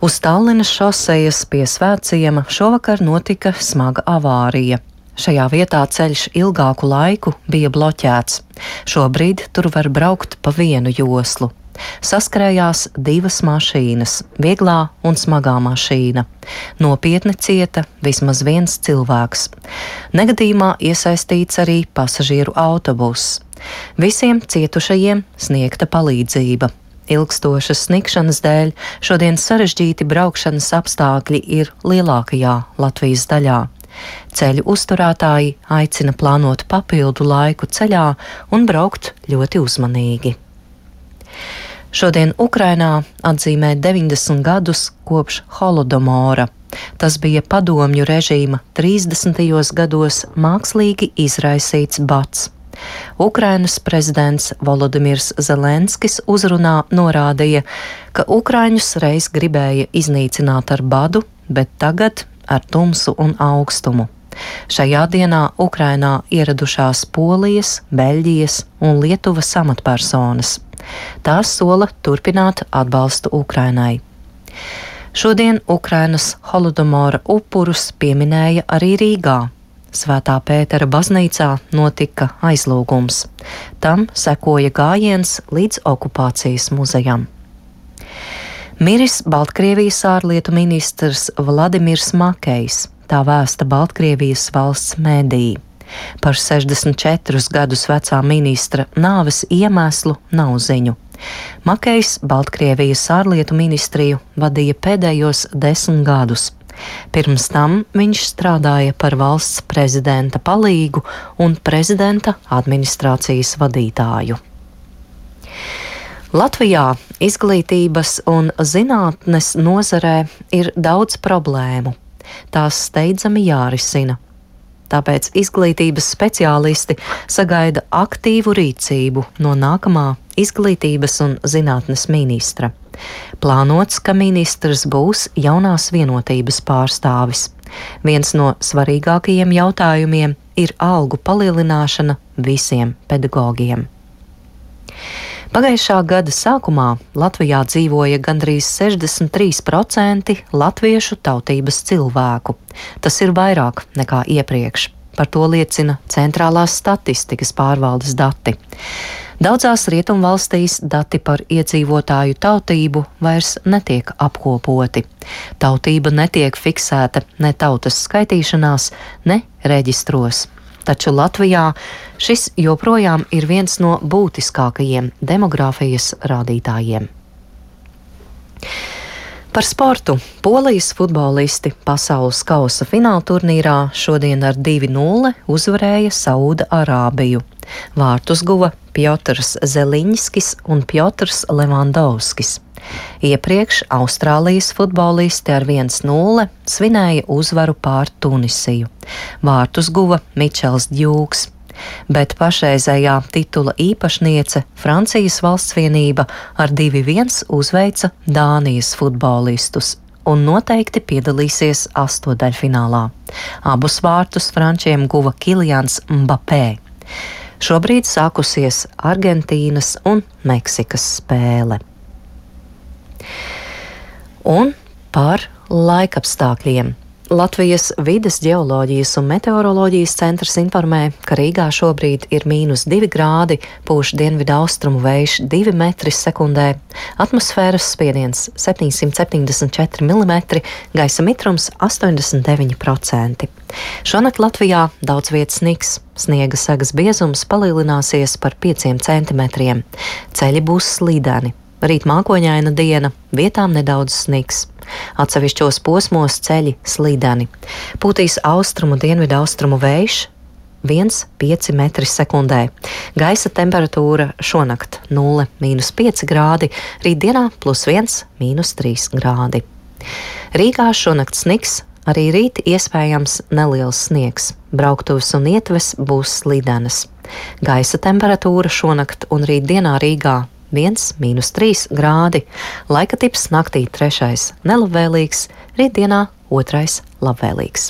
Uz Tallinas šosejas pie Svētciema šovakar notika smaga avārija. Šajā vietā ceļš ilgāku laiku bija bloķēts. Šobrīd tur var braukt pa vienu joslu. Saskrējās divas mašīnas - vieglā un smagā mašīna. Nopietni cieta vismaz viens cilvēks. Negadījumā iesaistīts arī pasažieru autobuss. Visiem cietušajiem sniegta palīdzība. Ilgstošas sniegšanas dēļ šodien sarežģīti braukšanas apstākļi ir lielākajā Latvijas daļā. Ceļu uzturētāji aicina plānot papildu laiku ceļā un braukt ļoti uzmanīgi. Šodien Ukrainā atzīmē 90 gadus kopš Holodomora. Tas bija padomju režīma 30. gados mākslīgi izraisīts bats. Ukrainas prezidents Volodimirs Zelenskis uzrunā norādīja, ka ukraiņus reiz gribēja iznīcināt ar badu, bet tagad ar tumsu un augstumu. Šajā dienā Ukrainā ieradušās Polijas, Beļģijas un Lietuvas amatpersonas. Tās sola turpināt atbalstu Ukrainai. Šodien Ukrainas Holodomora upurus pieminēja arī Rīgā. Svētā Pētera baznīcā notika aizlūgums. Tam sekoja gājiens līdz okupācijas muzejam. Miris Baltkrievijas ārlietu ministrs Vladimirs Makejs, tā vēsta Baltkrievijas valsts mēdī. Par 64 gadus vecā ministra nāves iemeslu nav ziņu. Makejs Baltkrievijas ārlietu ministriju vadīja pēdējos 10 gadus. Pirms tam viņš strādāja par valsts prezidenta palīgu un prezidenta administrācijas vadītāju. Latvijā izglītības un zinātnes nozarē ir daudz problēmu. Tās steidzami jārisina. Tāpēc izglītības speciālisti sagaida aktīvu rīcību no nākamā izglītības un zinātnes ministra. Plānots, ka ministrs būs jaunās vienotības pārstāvis. Viens no svarīgākajiem jautājumiem ir algu palielināšana visiem pedagogiem. Pagājušā gada sākumā Latvijā dzīvoja gandrīz 63% latviešu tautības cilvēku. Tas ir vairāk nekā iepriekš. Par to liecina Centrālās statistikas pārvaldes dati. Daudzās rietumvalstīs dati par iedzīvotāju tautību vairs netiek apkopoti. Tautība netiek fiksēta ne tautas skaitīšanās, ne reģistros. Taču Latvijā šis joprojām ir viens no būtiskākajiem demogrāfijas rādītājiem. Par sportu. Polijas futbolisti pasaules kausa fināla turnīrā šodien ar 2-0 uzvarēja Sauda Arābiju. Vārtus guva Piotrs Zeliņskis un Piotrs Levandovskis. Iepriekš Austrālijas futbolisti ar 1-0 svinēja uzvaru pār Tunisiju. Vārtus guva Mičels Djūks. Bet pašreizējā titula īpašniece Francijas valstsvienība ar 2-1 uzveica Dānijas futbolistus un noteikti piedalīsies astotdaļfinālā. Abus vārtus frančiem guva Kilians Mbappé. Šobrīd sākusies Argentīnas un Meksikas spēle. Un par laikapstākļiem. Latvijas vides ģeoloģijas un meteoroloģijas centrs informē, ka Rīgā šobrīd ir -2 grādi, pūš dienvidu austrumu vējš 2 metri sekundē, atmosfēras spiediens 774 mm, gaisa mitrums 89%. Šonakt Latvijā daudz vietas snigs, sniega segas biezums palielināsies par 5 centimetriem, ceļi būs slīdeni. Rīt mākoņaina diena, vietām nedaudz snigs. Atsevišķos posmos ceļi slīdeni. Pūtīs austrumu dienvidu austrumu vējš 1,5 metri sekundē. Gaisa temperatūra šonakt 0–5 grādi, rītdienā +1 – -3 grādi. Rīgā šonakt snigs, arī rīt iespējams neliels sniegs. Brauktuves un ietves būs slīdenas. Gaisa temperatūra šonakt un rītdienā Rīgā 1–3 grādi, laika tips naktī 3. nelabvēlīgs, rītdienā 2. labvēlīgs.